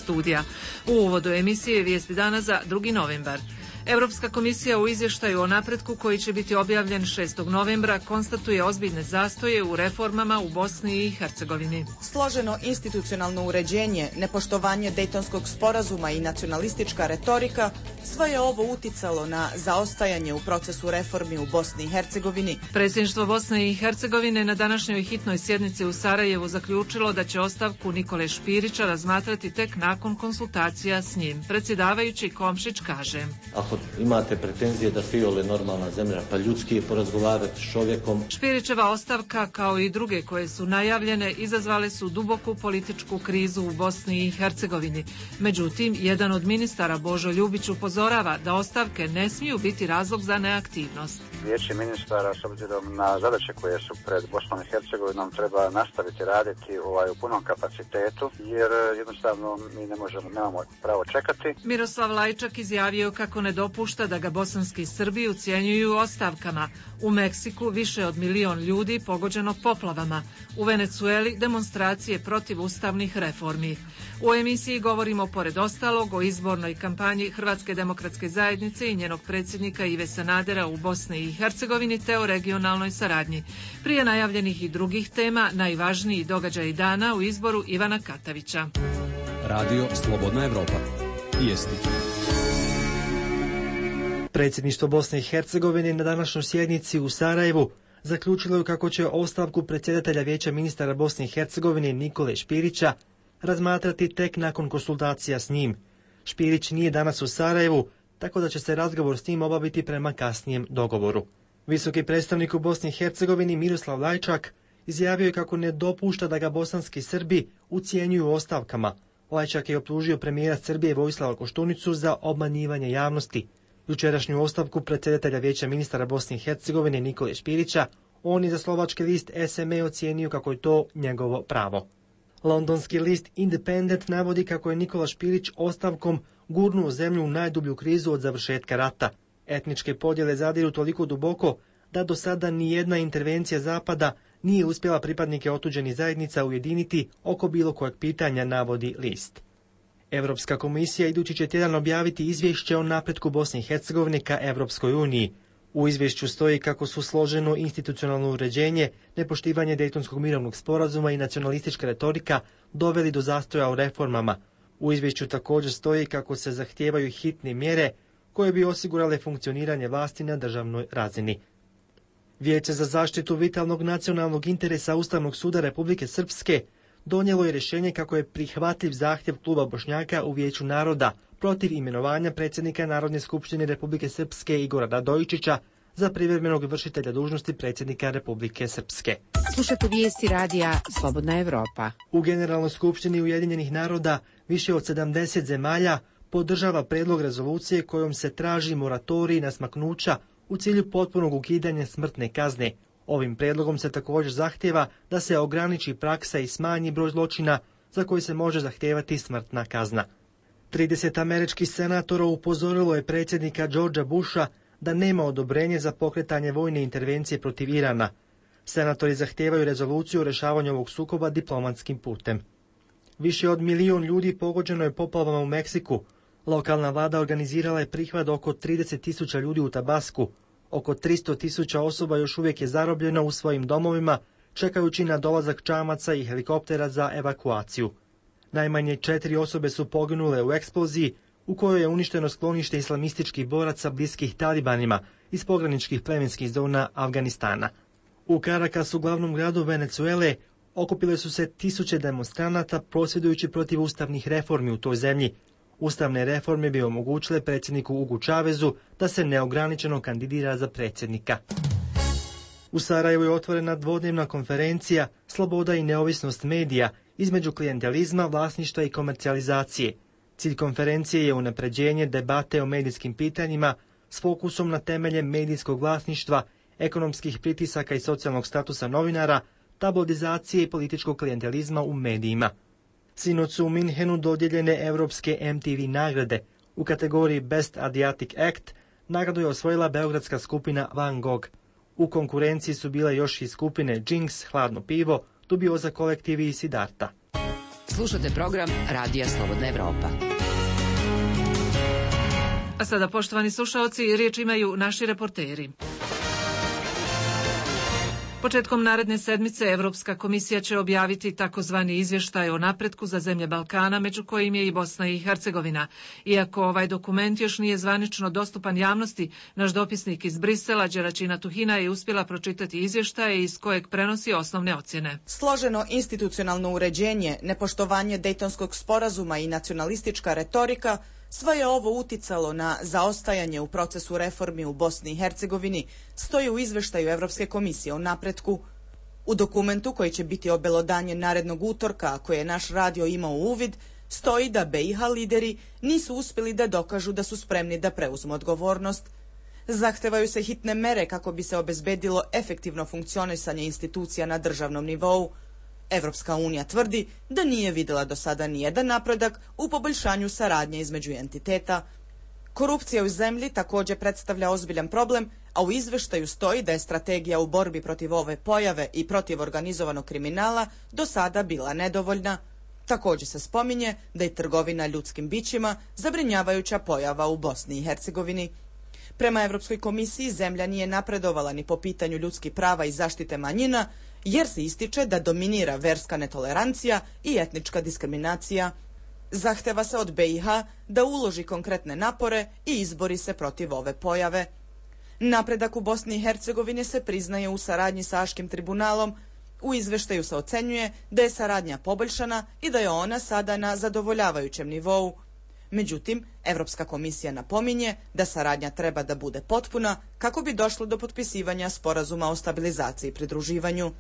studija. U uvodu emisije Vijesti dana za 2. novembar. Europska komisija u izvještaju o napretku koji će biti objavljen 6. novembra konstatuje ozbiljne zastoje u reformama u Bosni i Hercegovini. Složeno institucionalno uređenje, nepoštovanje Dejtonskog sporazuma i nacionalistička retorika, sve je ovo uticalo na zaostajanje u procesu reformi u Bosni i Hercegovini. Predsjedništvo Bosne i Hercegovine na današnjoj hitnoj sjednici u Sarajevu zaključilo da će ostavku Nikole Špirića razmatrati tek nakon konsultacija s njim. Predsjedavajući Komšić kaže: Ako imate pretenzije da Fiole normalna zemlja, pa ljudski je porazgovarati s čovjekom. Špirićeva ostavka, kao i druge koje su najavljene, izazvale su duboku političku krizu u Bosni i Hercegovini. Međutim, jedan od ministara, Božo Ljubić, upozorava da ostavke ne smiju biti razlog za neaktivnost. Vijeće ministara, s obzirom na zadaće koje su pred Bosnom i Hercegovinom, treba nastaviti raditi u punom kapacitetu, jer jednostavno mi nemamo pravo čekati. Miroslav Lajčak izjavio kako ne dopušta da ga bosanski Srbi ucjenjuju ostavkama. U Meksiku više od 1 milion ljudi pogođeno poplavama. U Venecueli demonstracije protiv ustavnih reformi. U emisiji govorimo pored ostalog o izbornoj kampanji Hrvatske demokratske zajednice i njenog predsjednika Ive Sanadera u Bosni i Hercegovini te o regionalnoj saradnji. Prije najavljenih i drugih tema, najvažniji događaj dana u izboru Ivana Katavića. Radio Slobodna Evropa. Vijesti. Predsjedništvo Bosne i Hercegovine na današnjoj sjednici u Sarajevu zaključilo je kako će ostavku predsjedatelja Vijeća ministara Bosne i Hercegovine Nikole Špirića razmatrati tek nakon konsultacija s njim. Špirić nije danas u Sarajevu, tako da će se razgovor s njim obaviti prema kasnijem dogovoru. Visoki predstavnik u Bosni i Hercegovini Miroslav Lajčak izjavio je kako ne dopušta da ga bosanski Srbi ucjenjuju ostavkama. Lajčak je optužio premijera Srbije Vojislava Koštunicu za obmanjivanje javnosti. Jučerašnju ostavku predsjedatelja Vijeća ministara Bosne i Hercegovine Nikole Špirića on je za slovački list SME ocijenio kako je to njegovo pravo. Londonski list Independent navodi kako je Nikola Špirić ostavkom gurnuo zemlju u najdublju krizu od završetka rata. Etničke podjele zadiru toliko duboko da do sada nijedna intervencija Zapada nije uspjela pripadnike otuđenih zajednica ujediniti oko bilo kojeg pitanja, navodi list. Europska komisija idući će tjedan objaviti izvješće o napretku Bosne i Hercegovine ka Europskoj uniji. U izvješću stoji kako su složeno institucionalno uređenje, nepoštivanje Dejtonskog mirovnog sporazuma i nacionalistička retorika doveli do zastoja u reformama. U izvješću također stoji kako se zahtijevaju hitne mjere koje bi osigurale funkcioniranje vlasti na državnoj razini. Vijeće za zaštitu vitalnog nacionalnog interesa Ustavnog suda Republike Srpske donijelo je rješenje kako je prihvatljiv zahtjev kluba Bošnjaka u Vijeću naroda protiv imenovanja predsjednika Narodne skupštine Republike Srpske Igora Radojičića za privremenog vršitelja dužnosti predsjednika Republike Srpske. Slušate vijesti radija Slobodna Evropa. U Generalnoj skupštini Ujedinjenih naroda više od 70 zemalja podržava predlog rezolucije kojom se traži moratorij na smaknuća u cilju potpunog ukidanja smrtne kazne. Ovim predlogom se također zahtjeva da se ograniči praksa i smanji broj zločina za koji se može zahtijevati smrtna kazna. 30 američkih senatora upozorilo je predsjednika Georgea Busha da nema odobrenje za pokretanje vojne intervencije protiv Irana. Senatori zahtijevaju rezoluciju o rješavanju ovog sukoba diplomatskim putem. Više od 1 milion ljudi pogođeno je poplavama u Meksiku. Lokalna vlada organizirala je prihvat oko 30.000 ljudi u Tabasku. Oko 300.000 osoba još uvijek je zarobljeno u svojim domovima, čekajući na dolazak čamaca i helikoptera za evakuaciju. Najmanje 4 osobe su poginule u eksploziji u kojoj je uništeno sklonište islamističkih boraca bliskih talibanima iz pograničnih plemenskih zona Afganistana. U Carakasu, glavnom gradu Venecuele, okupile su se tisuće demonstranata prosvjedujući protiv ustavnih reformi u toj zemlji. Ustavne reforme bi omogućile predsjedniku Hugu Chávezu da se neograničeno kandidira za predsjednika. U Sarajevu je otvorena dvodnevna konferencija Sloboda i neovisnost medija između klijentelizma, vlasništva i komercijalizacije. Cilj konferencije je unapređenje debate o medijskim pitanjima s fokusom na temelje medijskog vlasništva, ekonomskih pritisaka i socijalnog statusa novinara, tabloidizacije i političkog klijentelizma u medijima. Sinoć su u Minhenu dodijeljene europske MTV nagrade. U kategoriji Best Adriatic Act nagradu je osvojila beogradska skupina Van Gogh. U konkurenciji su bile još i skupine Jinx, Hladno pivo, Dubioza kolektiv i Siddharta. Slušate program Radija Slobodna Evropa. A sada, poštovani slušaoci, riječ imaju naši reporteri. Početkom naredne sedmice Evropska komisija će objaviti takozvani izvještaj o napretku za zemlje Balkana, među kojim je i Bosna i Hercegovina. Iako ovaj dokument još nije zvanično dostupan javnosti, naš dopisnik iz Brisela, Đeračina Tuhina, je uspjela pročitati izvještaje iz kojeg prenosi osnovne ocjene. Složeno institucionalno uređenje, nepoštovanje Dejtonskog sporazuma i nacionalistička retorika, sve je ovo uticalo na zaostajanje u procesu reformi u Bosni i Hercegovini, stoji u izveštaju Evropske komisije o napretku. U dokumentu koji će biti obelodanjen narednog utorka, a koji je naš radio imao uvid, stoji da BiH lideri nisu uspjeli da dokažu da su spremni da preuzmu odgovornost. Zahtevaju se hitne mere kako bi se obezbedilo efektivno funkcionisanje institucija na državnom nivou. Evropska unija tvrdi da nije vidjela do sada nijedan napredak u poboljšanju saradnje između entiteta. Korupcija u zemlji također predstavlja ozbiljan problem, a u izveštaju stoji da je strategija u borbi protiv ove pojave i protiv organizovanog kriminala do sada bila nedovoljna. Također se spominje da je trgovina ljudskim bićima zabrinjavajuća pojava u Bosni i Hercegovini. Prema Evropskoj komisiji zemlja nije napredovala ni po pitanju ljudskih prava i zaštite manjina, jer se ističe da dominira verska netolerancija i etnička diskriminacija. Zahteva se od BiH da uloži konkretne napore i izbori se protiv ove pojave. Napredak u Bosni i Hercegovini se priznaje u saradnji sa Haškim tribunalom. U izveštaju se ocenjuje da je saradnja poboljšana i da je ona sada na zadovoljavajućem nivou. Međutim, Evropska komisija napominje da saradnja treba da bude potpuna kako bi došlo do potpisivanja sporazuma o stabilizaciji i pridruživanju.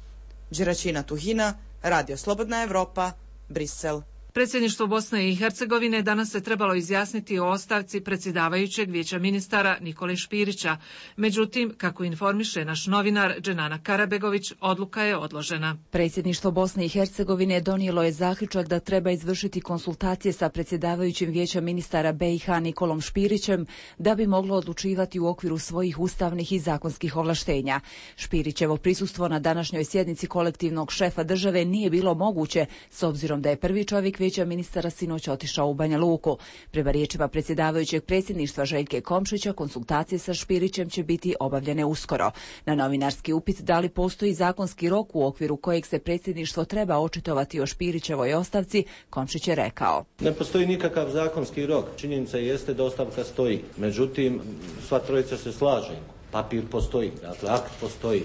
Đeračina Tuhina, Radio Slobodna Evropa, Brisel. Predsjedništvo Bosne i Hercegovine danas se trebalo izjasniti o ostavci predsjedavajućeg vijeća ministara Nikole Špirića. Međutim, kako informiše naš novinar Dženana Karabegović, odluka je odložena. Predsjedništvo Bosne i Hercegovine donijelo je zaključak da treba izvršiti konsultacije sa predsjedavajućim vijeća ministara BiH Nikolom Špirićem da bi moglo odlučivati u okviru svojih ustavnih i zakonskih ovlaštenja. Špirićevo prisustvo na današnjoj sjednici kolektivnog šefa države nije bilo moguće s obzirom da je prvi čovjek vijeća ministara sinoć otišao u Banja Luku. Prema riječima predsjedavajućeg predsjedništva Željke Komšića, konsultacije sa Špirićem će biti obavljene uskoro. Na novinarski upit da li postoji zakonski rok u okviru kojeg se predsjedništvo treba očitovati o Špirićevoj ostavci, Komšić je rekao: Ne postoji nikakav zakonski rok. Činjenica jeste da ostavka stoji. Međutim, sva trojica se slaže. Papir postoji, dakle akt postoji.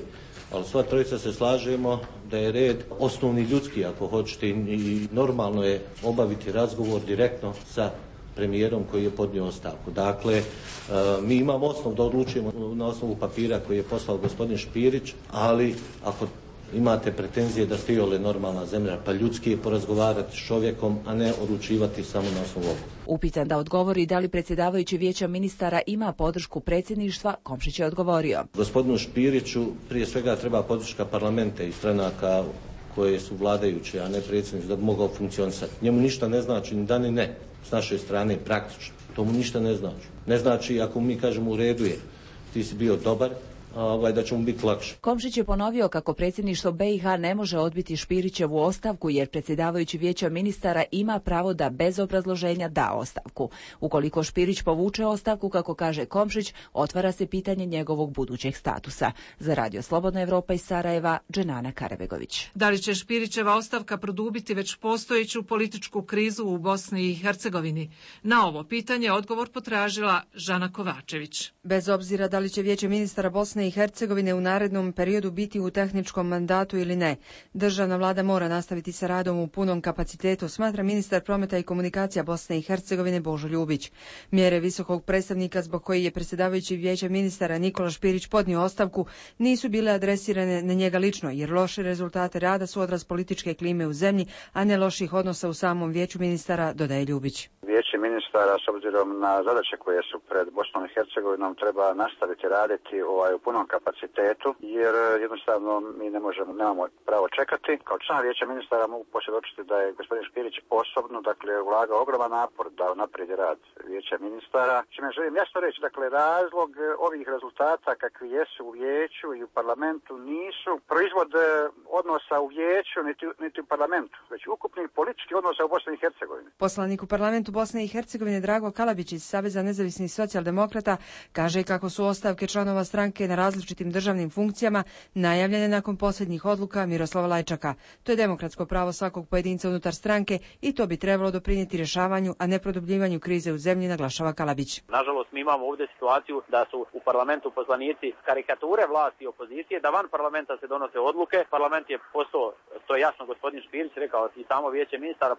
Ali sva trojica se slažemo da je red osnovni ljudski, ako hoćete, i normalno je obaviti razgovor direktno sa premijerom koji je podnio ostavku. Dakle, mi imamo osnov da odlučujemo na osnovu papira koji je poslao gospodin Špirić, ali ako imate pretenzije da ste iole normalna zemlja, pa ljudski je porazgovarati s čovjekom, a ne odlučivati samo na osnovu ovoga. Upitan da odgovori da li predsjedavajući vijeća ministara ima podršku predsjedništva, Komšić je odgovorio: Gospodinu Špiriću prije svega treba podrška parlamenta i stranaka koje su vladajuće, a ne predsjedništvo, da bi mogao funkcionisati. Njemu ništa ne znači ni da ni ne, s naše strane praktično. To mu ništa ne znači. Ne znači ako mi kažemo u redu je, ti si bio dobar, da će mu biti lakše. Komšić je ponovio kako predsjedništvo BiH ne može odbiti Špirićevu ostavku jer predsjedavajući vijeća ministara ima pravo da bez obrazloženja da ostavku. Ukoliko Špirić povuče ostavku, kako kaže Komšić, otvara se pitanje njegovog budućeg statusa. Za Radio Slobodna Evropa iz Sarajeva, Dženana Karabegović. Da li će Špirićeva ostavka produbiti već postojeću političku krizu u Bosni i Hercegovini? Na ovo pitanje odgovor potražila Žana Kovačević. Bez obzira da li će vijeće ministara Bosne i Hercegovine u narednom periodu biti u tehničkom mandatu ili ne, državna vlada mora nastaviti sa radom u punom kapacitetu, smatra ministar prometa i komunikacija Bosne i Hercegovine Božo Ljubić. Mjere visokog predstavnika zbog koji je predsjedavajući vijeća ministara Nikola Špirić podnio ostavku nisu bile adresirane na njega lično, jer loše rezultate rada su odraz političke klime u zemlji, a ne loših odnosa u samom vijeću ministara, dodaje Ljubić. Vijeće ministara s obzirom na zadaće koje su pred Bosnom i Hercegovinom treba nastaviti raditi u punom kapacitetu, jer jednostavno mi nemamo pravo čekati. Kao član vijeća ministara mogu posvjedočiti da je gospodin Špirić osobno ulagao ogroman napor da unaprijedi rad vijeća ministara. Čime želim jasno reći, razlog ovih rezultata kakvi jesu u vijeću i u parlamentu nisu proizvod odnosa u vijeću niti u parlamentu, već ukupnih političkih odnosa u Bosni i Hercegovini. Poslanik u parlamentu Bosne i Hercegovine Drago Kalabić iz Saveza nezavisnih socijaldemokrata kaže kako su ostavke članova stranke na različitim državnim funkcijama najavljene nakon posljednjih odluka Miroslava Lajčaka. To je demokratsko pravo svakog pojedinca unutar stranke i to bi trebalo doprinijeti rješavanju, a ne produbljivanju krize u zemlji, naglašava Kalabić. Nažalost, mi imamo ovdje situaciju da su u parlamentu poslanici karikature vlasti i opozicije, da van parlamenta se donose odluke. Parlament je postao, to je jasno gospodin Špirić rekao, i samo vijeće ministara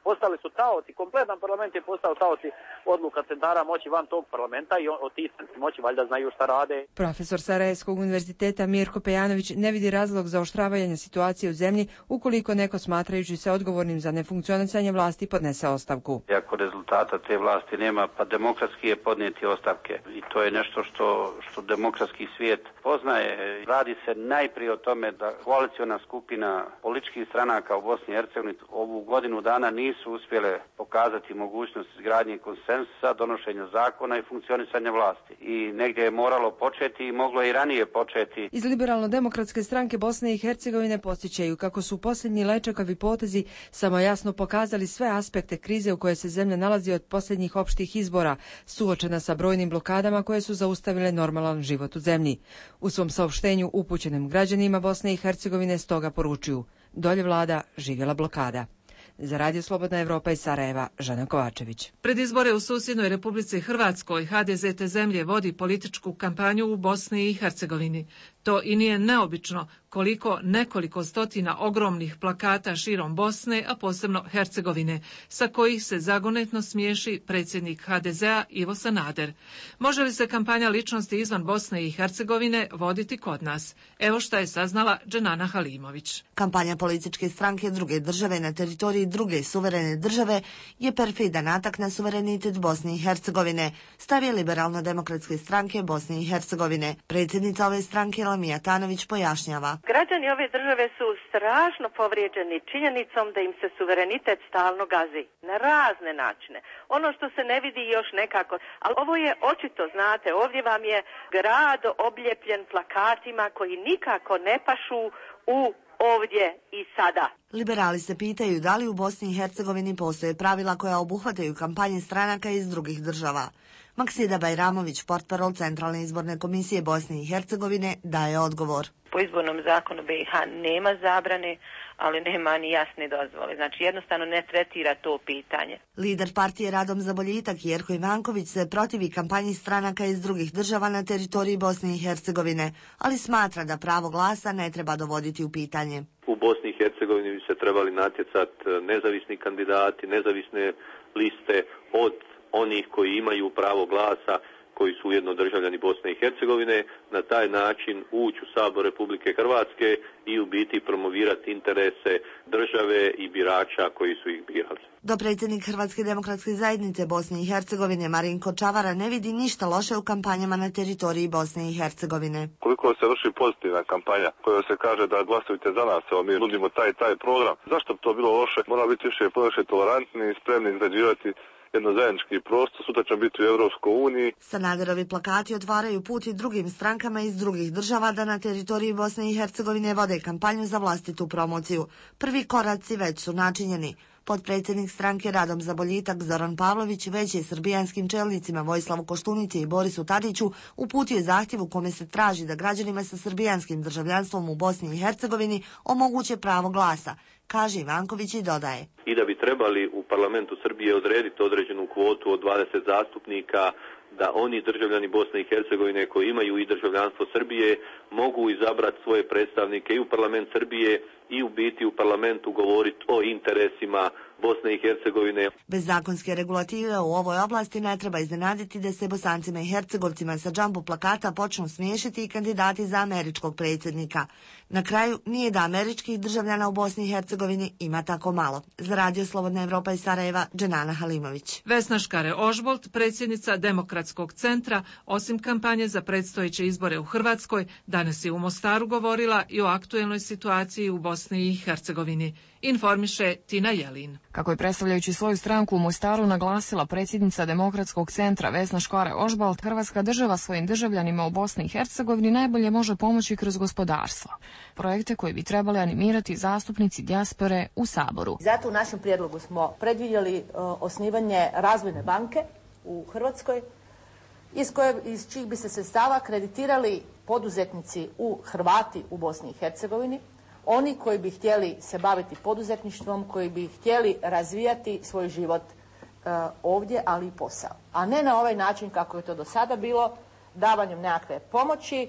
postali su taoci, kompletan parlament je postao taoci odluka centara moći van tog parlamenta i od tih moći valjda znaju šta rade. Profesor Sarajevskog univerziteta Mirko Pejanović ne vidi razlog za oštravanje situacije u zemlji ukoliko neko smatrajući se odgovornim za nefunkcionisanje vlasti podnese ostavku. Ako rezultata te vlasti nema, pa demokratski je podnijeti ostavke i to je nešto što demokratski svijet poznaje. Radi se najprije o tome da koaliciona skupina političkih stranaka u Bosni i Hercegovini ovu godinu dana nisu uspjele pokazati mogućnost izgradnje konsenzusa, donošenja zakona i funkcionisanja vlasti. I negdje je moralo početi i moglo i ranije početi. Iz Liberalno-demokratske stranke Bosne i Hercegovine podsjećaju kako su posljednji Lajčakovi potezi samo jasno pokazali sve aspekte krize u kojoj se zemlja nalazi od posljednjih opštih izbora, suočena sa brojnim blokadama koje su zaustavile normalan život u zemlji. U svom saopštenju upućenim građanima Bosne i Hercegovine stoga poručuju: dolje vlada, živjela blokada. Za Radio Slobodna Evropa iz Sarajeva, Žana Kovačević. Pred izbore u susjednoj Republici Hrvatskoj HDZ te zemlje vodi političku kampanju u Bosni i Hercegovini. To i nije neobično nekoliko stotina ogromnih plakata širom Bosne, a posebno Hercegovine, sa kojih se zagonetno smiješi predsjednik HDZ-a Ivo Sanader. Može li se kampanja ličnosti izvan Bosne i Hercegovine voditi kod nas? Evo šta je saznala Dženana Halimović. Kampanja političke stranke druge države na teritoriji druge suverene države je perfidan atak na suverenitet Bosne i Hercegovine, stav je Liberalno-demokratske stranke Bosne i Hercegovine. Predsjednica ove stranke Lamija Tanović pojašnjava. Građani ove države su strašno povrijeđeni činjenicom da im se suverenitet stalno gazi na razne načine. Ono što se ne vidi još nekako, ali ovo je očito, znate, ovdje vam je grad obljepljen plakatima koji nikako ne pašu u ovdje i sada. Liberali se pitaju da li u Bosni i Hercegovini postoje pravila koja obuhvataju kampanje stranaka iz drugih država. Maksida Bajramović, portparol Centralne izborne komisije Bosne i Hercegovine, daje odgovor. Po izbornom zakonu BiH nema zabrane, ali nema ni jasne dozvole. Znači jednostavno ne tretira to pitanje. Lider partije Radom za boljitak Jerko Ivanković se protivi kampanji stranaka iz drugih država na teritoriji Bosne i Hercegovine, ali smatra da pravo glasa ne treba dovoditi u pitanje. U Bosni i Hercegovini bi se trebali natjecati nezavisni kandidati, nezavisne liste od onih koji imaju pravo glasa, koji su ujedno državljani Bosne i Hercegovine, na taj način ući u Sabor Republike Hrvatske i u biti promovirati interese države i birača koji su ih birali. Dopredsjednik Hrvatske demokratske zajednice Bosne i Hercegovine Marinko Čavara ne vidi ništa loše u kampanjama na teritoriji Bosne i Hercegovine. Koliko se vrši pozitivna kampanja koja se kaže da glasujte za nas, evo mi nudimo taj program, zašto bi to bilo loše? Mora biti više tolerantni i spremni izgrađivati jedno zajednički prostor, sutra će biti u Europskoj uniji. Sanaderovi plakati otvaraju put i drugim strankama iz drugih država da na teritoriji Bosne i Hercegovine vode kampanju za vlastitu promociju. Prvi koraci već su načinjeni. Potpredsjednik stranke Radom za boljitak Zoran Pavlović već je srbijanskim čelnicima Vojislavu Koštunici i Borisu Tadiću uputio zahtjev u kome se traži da građanima sa srbijanskim državljanstvom u Bosni i Hercegovini omoguće pravo glasa, kaže Ivanković i dodaje. I da bi trebali u parlamentu Srbije odrediti određenu kvotu od 20 zastupnika, da oni državljani Bosne i Hercegovine koji imaju i državljanstvo Srbije mogu izabrati svoje predstavnike i u parlament Srbije i u biti u parlamentu govoriti o interesima Bosne i Hercegovine. Bez zakonske regulative u ovoj oblasti ne treba iznenaditi da se Bosancima i Hercegovcima sa džambo plakata počnu smiješiti i kandidati za američkog predsjednika. Na kraju, nije da američkih državljana u Bosni i Hercegovini ima tako malo. Za Radio Slobodna Evropa iz Sarajeva, Dženana Halimović. Vesna Škare-Ožbolt, predsjednica Demokratskog centra, osim kampanje za predstojeće izbore u Hrvatskoj, danas je u Mostaru govorila i o aktuelnoj situaciji u Bosni i Hercegovini. Informiše Tina Jelin. Kako je predstavljajući svoju stranku u Mostaru naglasila predsjednica Demokratskog centra Vesna Škare-Ožbolt, Hrvatska država svojim državljanima u Bosni i Hercegovini najbolje može pomoći kroz gospodarstvo. Projekte koje bi trebali animirati zastupnici dijaspore u Saboru. Zato u našem prijedlogu smo predvidjeli osnivanje razvojne banke u Hrvatskoj iz čijih bi se sredstava kreditirali poduzetnici Hrvati u Bosni i Hercegovini, oni koji bi htjeli se baviti poduzetništvom, koji bi htjeli razvijati svoj život ovdje, ali i posao. A ne na ovaj način kako je to do sada bilo, davanjem nekakve pomoći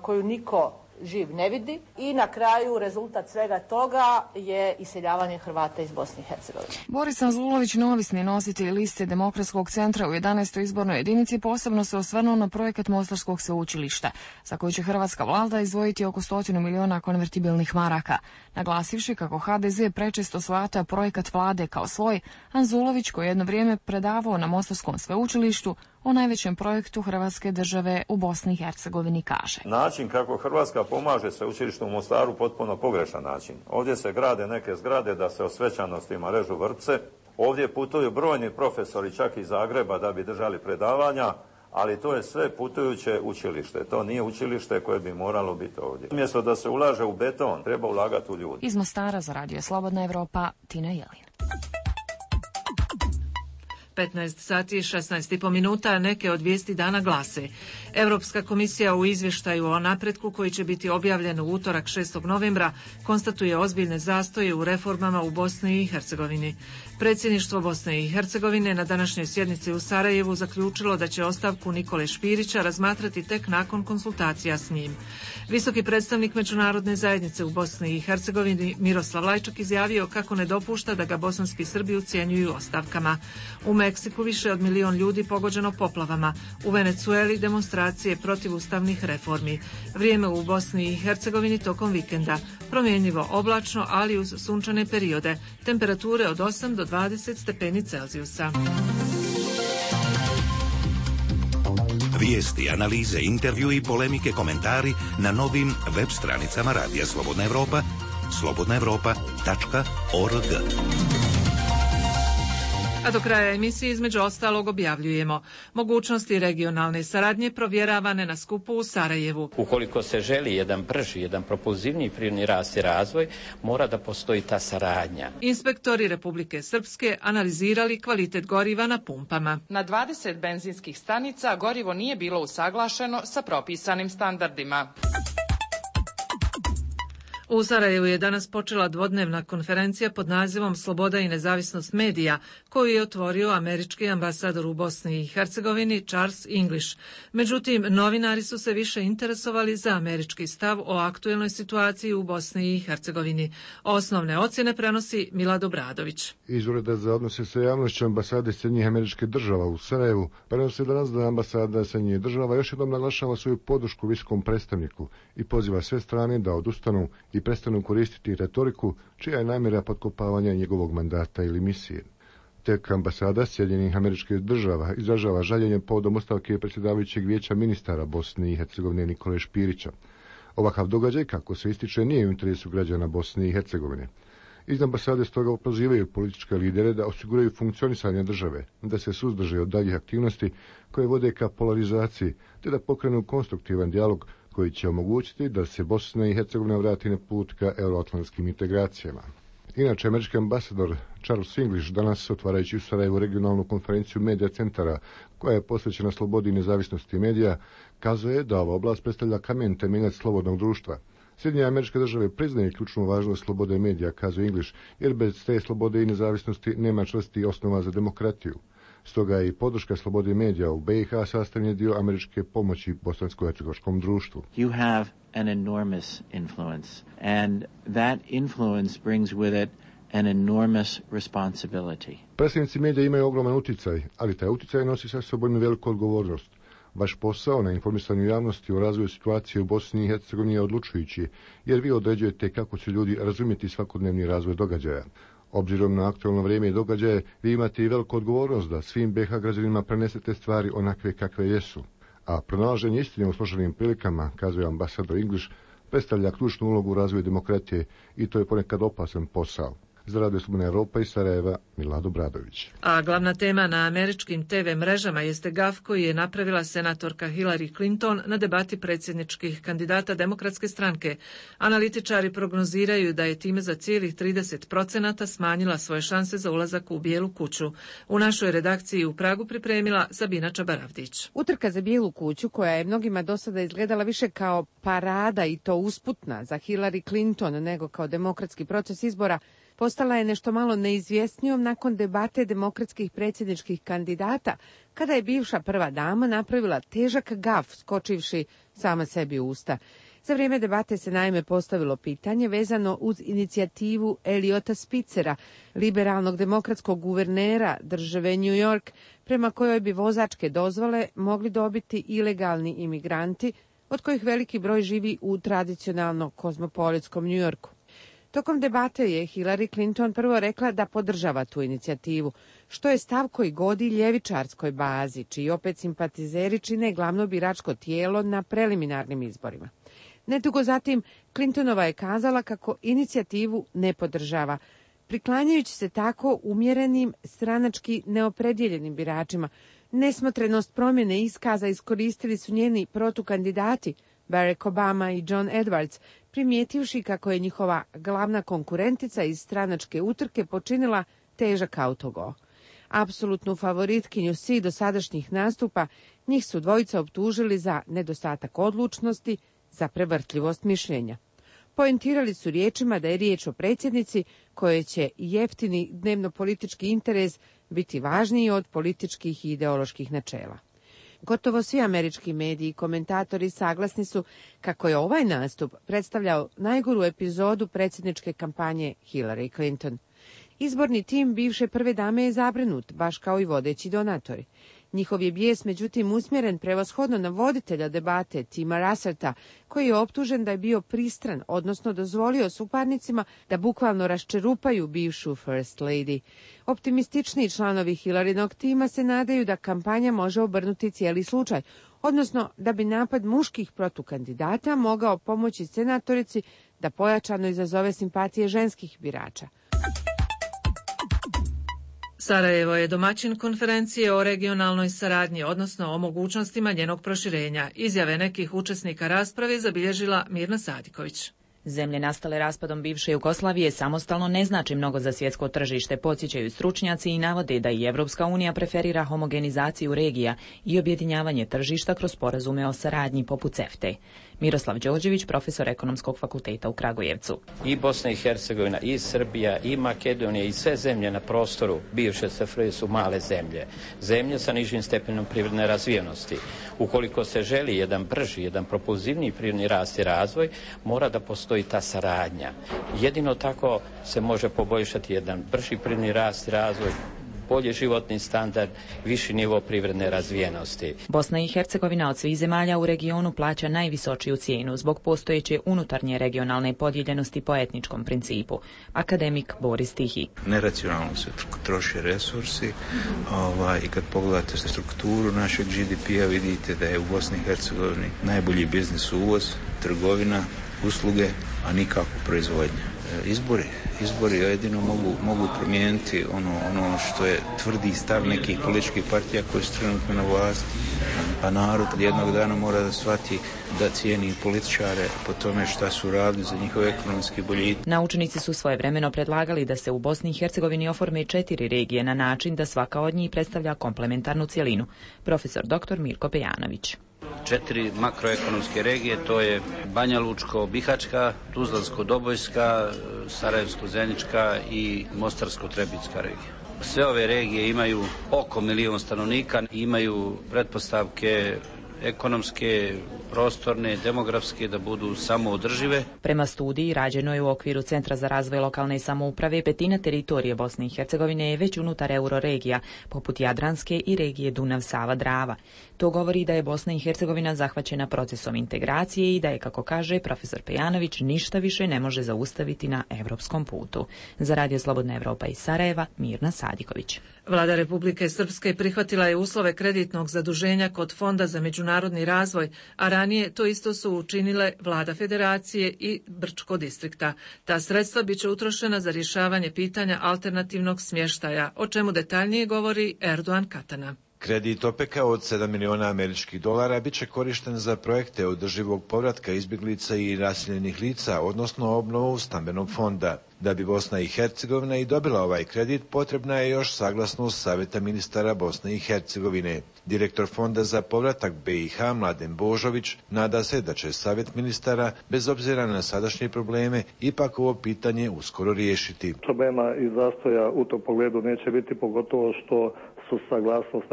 koju niko živ ne vidi i na kraju rezultat svega toga je iseljavanje Hrvata iz Bosne i Hercegovine. Boris Anzulović, neovisni nositelj liste Demokratskog centra u 11. izbornoj jedinici, posebno se osvrnuo na projekat Mostarskog sveučilišta, za koji će hrvatska vlada izdvojiti oko 100 miliona konvertibilnih maraka. Naglasivši kako HDZ prečesto shvata projekat vlade kao svoj, Anzulović, koji je jedno vrijeme predavao na Mostarskom sveučilištu o najvećem projektu Hrvatske države u Bosni i Hercegovini, kaže: Način kako Hrvatska pomaže sveučilištu u Mostaru potpuno pogrešan način. Ovdje se grade neke zgrade da se o svečanostima režu vrpce. Ovdje putuju brojni profesori čak iz Zagreba da bi držali predavanja, ali to je sve putujuće učilište. To nije učilište koje bi moralo biti ovdje. Umjesto da se ulaže u beton, treba ulagati u ljudi. Iz Mostara za Radio Slobodna Evropa, Tina Jelin. 15 sati i 16,5 minuta, neke od vijesti dana glase. Europska komisija u izvještaju o napretku koji će biti objavljen u utorak 6. novembra konstatuje ozbiljne zastoje u reformama u Bosni i Hercegovini. Predsjedništvo Bosne i Hercegovine na današnjoj sjednici u Sarajevu zaključilo da će ostavku Nikole Špirića razmatrati tek nakon konsultacija s njim. Visoki predstavnik međunarodne zajednice u Bosni i Hercegovini Miroslav Lajčak izjavio kako ne dopušta da ga bosanski Srbi ucjenjuju ostavkama. U Meksiku više od 1 milion ljudi pogođeno poplavama. U Venecueli demonstracije protiv ustavnih reformi. Vrijeme u Bosni i Hercegovini tokom vikenda. Promjenjivo oblačno, ali uz sunčane periode. Temperature od 8 do 20 stepeni Celzijusa. Vijesti, analize, intervju i polemike, komentari na novim web stranicama Radija Slobodna Evropa, slobodnaevropa.org. A do kraja emisije između ostalog objavljujemo mogućnosti regionalne saradnje provjeravane na skupu u Sarajevu. Ukoliko se želi jedan brži, jedan propulzivniji privredni rast i razvoj, mora da postoji ta saradnja. Inspektori Republike Srpske analizirali kvalitet goriva na pumpama. Na 20 benzinskih stanica gorivo nije bilo usaglašeno sa propisanim standardima. U Sarajevu je danas počela dvodnevna konferencija pod nazivom Sloboda i nezavisnost medija, koju je otvorio američki ambasador u Bosni i Hercegovini Charles English. Međutim, novinari su se više interesovali za američki stav o aktuelnoj situaciji u Bosni i Hercegovini. Osnovne ocjene prenosi Milad Obradović. Iz Ureda za odnose sa javnošću ambasade Sjedinjenih Američkih Država u Sarajevu prenosi danas da ambasada Sjedinjenih Država još jednom naglašava svoju podršku visokom predstavniku i poziva sve strane da odustanu i prestanu koristiti retoriku čija je namjera potkopavanja njegovog mandata ili misije. Tek ambasada Sjedinjenih Američkih Država izražava žaljenje povodom ostavke predsjedavajućeg vijeća ministara Bosne i Hercegovine Nikole Špirića. Ovakav događaj, kako se ističe, nije u interesu građana Bosne i Hercegovine. Iz ambasade stoga pozivaju političke lidere da osiguraju funkcionisanje države, da se suzdrže od daljih aktivnosti koje vode ka polarizaciji, te da pokrenu konstruktivan dijalog koji će omogućiti da se Bosna i Hercegovina vrati na put ka euroatlantskim integracijama. Inače, američki ambasador Charles English danas, otvarajući u Sarajevu regionalnu konferenciju medija centara koja je posvećena slobodi i nezavisnosti medija, kazuje da ova oblast predstavlja kamen temeljac slobodnog društva. Sjedinjene Američke Države priznaju ključnu važnost slobode medija, kazuje English, jer bez te slobode i nezavisnosti nema čvrstih osnova za demokratiju. Stoga je i podrška slobode medija u BiH sastavni dio američke pomoći bosansko-hercegovačkom društvu. You have an enormous influence, and that influence brings with it an enormous responsibility. Predstavnici medija imaju ogroman uticaj, ali taj uticaj nosi sa sobom i veliku odgovornost. Vaš posao na informisanju javnosti o razvoju situacije u Bosni i Hercegovini je odlučujući, jer vi određujete kako će ljudi razumjeti svakodnevni razvoj događaja. Obzirom na aktualno vrijeme i događaje, vi imate i veliku odgovornost da svim BiH građanima prenesete stvari onakve kakve jesu. A pronalaženje istine u složenim prilikama, kazuje ambasador English, predstavlja ključnu ulogu u razvoju demokratije i to je ponekad opasan posao. Za Radio Slobodna Europa iz Sarajeva, Milado Bradović. A glavna tema na američkim TV mrežama jeste gaf koji je napravila senatorka Hillary Clinton na debati predsjedničkih kandidata Demokratske stranke. Analitičari prognoziraju da je time za cijelih 30% smanjila svoje šanse za ulazak u Bijelu kuću. U našoj redakciji u Pragu pripremila Sabina Čabaravdić. Utrka za Bijelu kuću, koja je mnogima do sada izgledala više kao parada i to usputna za Hillary Clinton nego kao demokratski proces izbora, postala je nešto malo neizvjesnijom nakon debate demokratskih predsjedničkih kandidata, kada je bivša prva dama napravila težak gaf skočivši sama sebi u usta. Za vrijeme debate se naime postavilo pitanje vezano uz inicijativu Eliota Spitzera, liberalnog demokratskog guvernera države New York, prema kojoj bi vozačke dozvole mogli dobiti ilegalni imigranti, od kojih veliki broj živi u tradicionalno kozmopolitskom New Yorku. Tokom debate je Hillary Clinton prvo rekla da podržava tu inicijativu, što je stav koji godi ljevičarskoj bazi, čiji opet simpatizeri čine glavno biračko tijelo na preliminarnim izborima. Nedugo zatim, Clintonova je kazala kako inicijativu ne podržava, priklanjajući se tako umjerenim, stranački neopredjeljenim biračima. Nesmotrenost promjene iskaza iskoristili su njeni protukandidati, Barack Obama i John Edwards, primijetivši kako je njihova glavna konkurentica iz stranačke utrke počinila težak autogol. Apsolutnu favoritkinju svih dosadašnjih nastupa, njih su dvojica optužili za nedostatak odlučnosti, za prevrtljivost mišljenja. Poentirali su riječima da je riječ o predsjednici koje će jeftini dnevno-politički interes biti važniji od političkih i ideoloških načela. Gotovo svi američki mediji i komentatori saglasni su kako je ovaj nastup predstavljao najgoru epizodu predsjedničke kampanje Hillary Clinton. Izborni tim bivše prve dame je zabrinut, baš kao i vodeći donatori. Njihov je bijes međutim usmjeren prevashodno na voditelja debate Tima Russerta, koji je optužen da je bio pristran, odnosno dozvolio suparnicima da bukvalno raščerupaju bivšu First Lady. Optimističniji članovi Hillarynog tima se nadaju da kampanja može obrnuti cijeli slučaj, odnosno da bi napad muških protukandidata mogao pomoći senatorici da pojačano izazove simpatije ženskih birača. Sarajevo je domaćin konferencije o regionalnoj saradnji, odnosno o mogućnostima njenog proširenja. Izjave nekih učesnika rasprave zabilježila Mirna Sadiković. Zemlje nastale raspadom bivše Jugoslavije samostalno ne znači mnogo za svjetsko tržište, podsjećaju stručnjaci i navode da i Evropska unija preferira homogenizaciju regija i objedinjavanje tržišta kroz sporazume o saradnji poput CEFTA. Miroslav Đorđević, profesor Ekonomskog fakulteta u Kragujevcu. I Bosna i Hercegovina, i Srbija, i Makedonija, i sve zemlje na prostoru bivše SFRJ su male zemlje. Zemlje sa nižim stepenom privredne razvijenosti. Ukoliko se želi jedan brži, jedan propulzivniji privredni rast i razvoj, mora da postoji ta saradnja. Jedino tako se može poboljšati jedan brži privredni rast i razvoj, bolji životni standard, viši nivo privredne razvijenosti. Bosna i Hercegovina od svih zemalja u regionu plaća najvisočiju cijenu zbog postojeće unutarnje regionalne podijeljenosti po etničkom principu. Akademik Boris Tihi. Neracionalno se troše resursi i kad pogledate strukturu našeg GDP-a vidite da je u Bosni i Hercegovini najbolji biznis uvoz, trgovina, usluge, a nikako proizvodnja. Izbori jedino mogu promijeniti ono što je tvrdi stav nekih političkih partija koji su trenutno na vlasti, a narod jednog dana mora da shvati da cijeni političare po tome šta su radili za njihove ekonomski boljitak. Naučnici su svojevremeno predlagali da se u Bosni i Hercegovini oforme 4 regije na način da svaka od njih predstavlja komplementarnu cjelinu. Profesor dr. Mirko Pejanović. 4 makroekonomske regije, to je Banja Lučko-Bihaćka, Tuzlansko-Dobojska, Sarajevsko-Zenička i Mostarsko-Trebinska regija. Sve ove regije imaju oko 1 milion stanovnika, imaju pretpostavke ekonomske, prostorne, demografske, da budu samoodržive. Prema studiji rađenoj u okviru Centra za razvoj lokalne samouprave, petina teritorije Bosne i Hercegovine je već unutar euroregija, poput Jadranske i regije Dunav-Sava-Drava. To govori da je Bosna i Hercegovina zahvaćena procesom integracije i da je, kako kaže profesor Pejanović, ništa više ne može zaustaviti na evropskom putu. Za Radio Slobodna Evropa iz Sarajeva, Mirna Sadiković. Vlada Republike Srpske prihvatila je uslove kreditnog zaduženja kod Fonda za međunarodni razvoj, a ranije to isto su učinile Vlada Federacije i Brčko distrikta. Ta sredstva biće utrošena za rješavanje pitanja alternativnog smještaja, o čemu detaljnije govori Erdogan Katana. Kredit OPEC-a od $7 miliona američkih dolara bit će korišten za projekte održivog povratka izbjeglica i raseljenih lica, odnosno obnovu stambenog fonda. Da bi Bosna i Hercegovina i dobila ovaj kredit, potrebna je još saglasnost Savjeta ministara Bosne i Hercegovine. Direktor Fonda za povratak BiH, Mladen Božović, nada se da će Savjet ministara, bez obzira na sadašnje probleme, ipak ovo pitanje uskoro riješiti. Problema i zastoja u tom pogledu neće biti, pogotovo što su saglasnost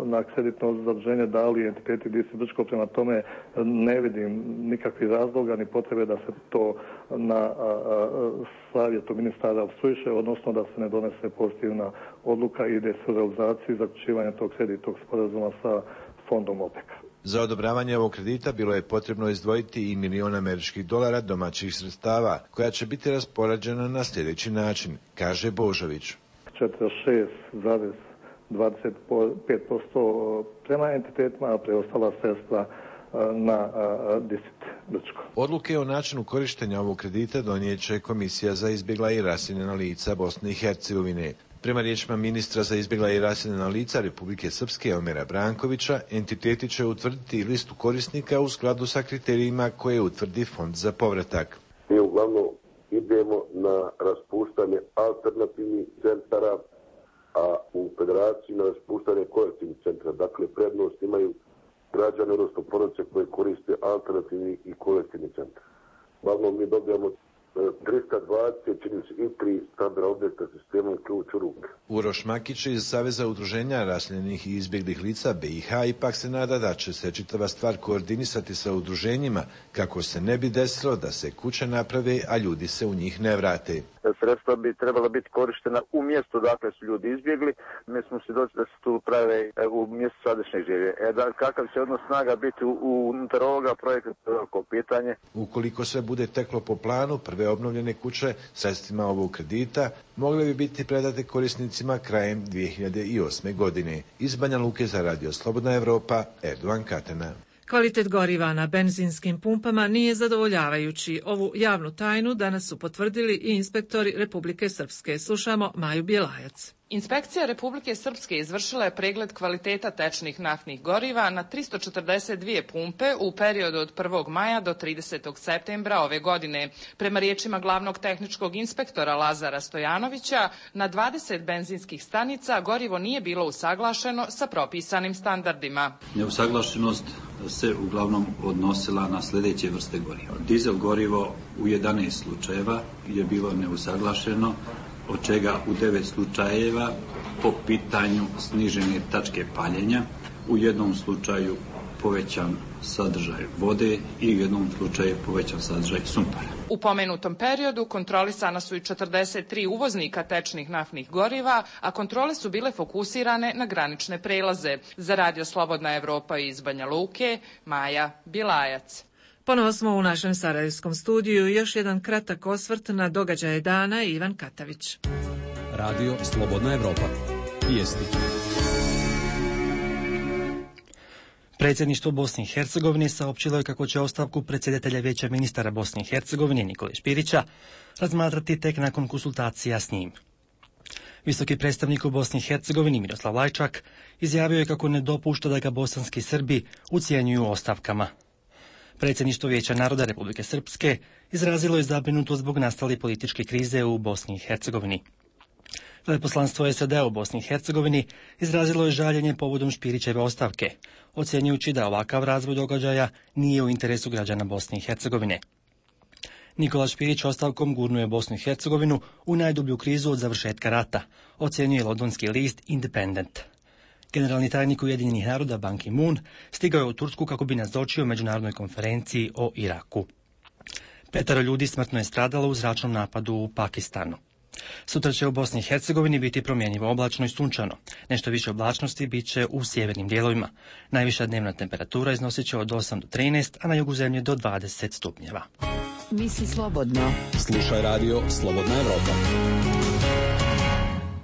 na kreditno zaduženje dali entiteti DIS i Brčko, prema tome ne vidim nikakvih razloga ni potrebe da se to na savjetu ministara opstruiše, odnosno da se ne donese pozitivna odluka i ide se u realizaciju i zaključivanje tog kreditnog sporazuma sa fondom OPEC-a. Za odobravanje ovog kredita bilo je potrebno izdvojiti i $1 milion američkih dolara domaćih sredstava, koja će biti raspoređena na sljedeći način, kaže Božović. 46,25% prema entitetima, a preostala sredstva na distrikt Brčko. Odluke o načinu korištenja ovog kredita donijet će Komisija za izbjegla i raseljena lica Bosne i Hercegovine. Prema riječima ministra za izbjegla i raseljena lica Republike Srpske Omera Brankovića, entiteti će utvrditi listu korisnika u skladu sa kriterijima koje utvrdi Fond za povratak. Mi uglavnom idemo na raspuštanje alternativnih centara, a u federaciji na raspuštanje kolektivnih centara. Dakle, prednost imaju građane, odnosno porodice koje koriste alternativni i kolektivni centar. Uglavnom mi dobijamo 320, čini se, i 3 stambena objekta sistemom ključ u ruke. Uroš Makić iz Saveza udruženja raseljenih i izbjeglih lica BiH ipak se nada da će se čitava stvar koordinisati sa udruženjima kako se ne bi desilo da se kuće naprave, a ljudi se u njih ne vrate. Sredstva bi trebala biti korištena u mjestu dakle su ljudi izbjegli. Mi smo svjedoci da se tu prave u mjestu sadašnjeg življenja. Kakav će odnos snaga biti unutar ovoga projekta, to je veliko pitanje. Ukoliko sve bude teklo po planu, prve obnovljene kuće sredstvima ovog kredita mogle bi biti predate korisnicima krajem 2008. godine. Iz Banja Luke za Radio Slobodna Evropa, Erdogan Katana. Kvalitet goriva na benzinskim pumpama nije zadovoljavajući. Ovu javnu tajnu danas su potvrdili i inspektori Republike Srpske. Slušamo Maju Bjelajac. Inspekcija Republike Srpske izvršila je pregled kvaliteta tečnih naftnih goriva na 342 pumpe u periodu od 1. maja do 30. septembra ove godine. Prema riječima glavnog tehničkog inspektora Lazara Stojanovića, na 20 benzinskih stanica gorivo nije bilo usaglašeno sa propisanim standardima. Neusaglašenost se uglavnom odnosila na sljedeće vrste goriva. Dizel gorivo u 11 slučajeva je bilo neusaglašeno, od čega u 9 slučajeva po pitanju snižene tačke paljenja, u jednom slučaju povećan sadržaj vode i u jednom slučaju povećan sadržaj sumpora. U pomenutom periodu kontrolisana su i 43 uvoznika tečnih naftnih goriva, a kontrole su bile fokusirane na granične prelaze. Za Radio Slobodna Evropa iz Banja Luke, Maja Bilajac. Ponovo smo u našem sarajevskom studiju. Još jedan kratak osvrt na događaje dana. Ivan Katavić. Radio Slobodna Evropa. Vijesti. Predsjedništvo Bosne i Hercegovine saopćilo je kako će ostavku predsjedatelja Vijeća ministara Bosne i Hercegovine Nikole Špirića razmatrati tek nakon konsultacija s njim. Visoki predstavnik u Bosni i Hercegovini Miroslav Lajčak izjavio je kako ne dopušta da ga bosanski Srbi ucjenjuju ostavkama. Predsjedništvo Vijeća naroda Republike Srpske izrazilo je zabrinutost zbog nastale političke krize u Bosni i Hercegovini. Veleposlanstvo SAD-a u Bosni i Hercegovini izrazilo je žaljenje povodom Špirićeve ostavke, ocjenjujući da ovakav razvoj događaja nije u interesu građana Bosne i Hercegovine. Nikola Špirić ostavkom gurnuje Bosnu i Hercegovinu u najdublju krizu od završetka rata, ocjenjuje londonski list Independent. Generalni tajnik Ujedinjenih naroda Ban Ki-moon stigao je u Tursku kako bi nazočio međunarodnoj konferenciji o Iraku. 5 ljudi smrtno je stradalo u zračnom napadu u Pakistanu. Sutra će u Bosni i Hercegovini biti promjenjivo oblačno i sunčano. Nešto više oblačnosti bit će u sjevernim dijelovima. Najviša dnevna temperatura iznosit će od 8 do 13, a na jugu zemlje do 20 stupnjeva. Misli slobodno. Slušaj radio Slobodna Evropa.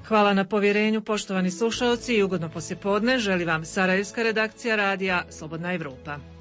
Hvala na povjerenju, poštovani slušalci, i ugodno poslijepodne želi vam sarajevska redakcija radija Slobodna Evropa.